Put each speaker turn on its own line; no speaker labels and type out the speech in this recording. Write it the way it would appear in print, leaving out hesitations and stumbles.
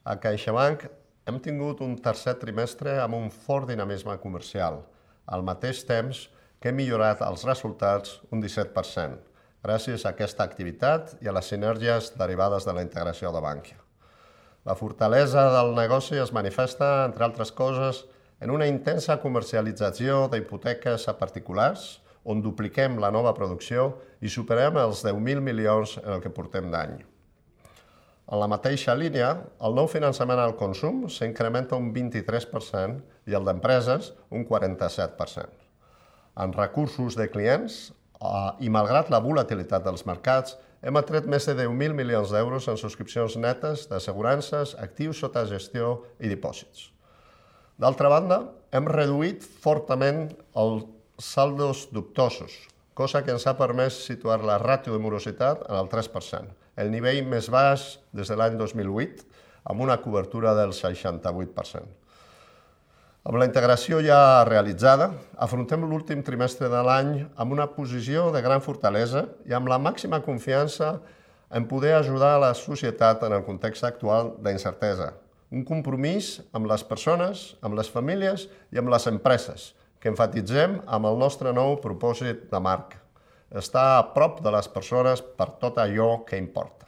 A CaixaBank hem tingut un tercer trimestre amb un fort dinamisme comercial, al mateix temps que hem millorat els resultats un 17%, gràcies a aquesta activitat i a les sinergies derivades de la integració de Bankia. La fortalesa del negoci es manifesta, entre altres coses, en una intensa comercialització d'hipoteques a particulars, on dupliquem la nova producció i superem els 10.000 milions en el que portem d'any. En la mateixa línia, el nou finançament al consum s'incrementa un 23% i el d'empreses un 47%. En recursos de clients, i malgrat la volatilitat dels mercats, hem atret més de 10.000 milions d'euros en subscripcions netes d'assegurances, actius sota gestió i dipòsits. D'altra banda, hem reduït fortament els saldos dubtosos, cosa que ens ha permès situar la ràtio de morositat en el 3%, el nivell més baix des de l'any 2008, amb una cobertura del 68%. Amb la integració ja realitzada, afrontem l'últim trimestre de l'any amb una posició de gran fortalesa i amb la màxima confiança en poder ajudar a la societat en el context actual d'incertesa. Un compromís amb les persones, amb les famílies i amb les empreses, que enfatitzem amb el nostre nou propòsit de marca. Estar a prop de les persones per tot allò que importa.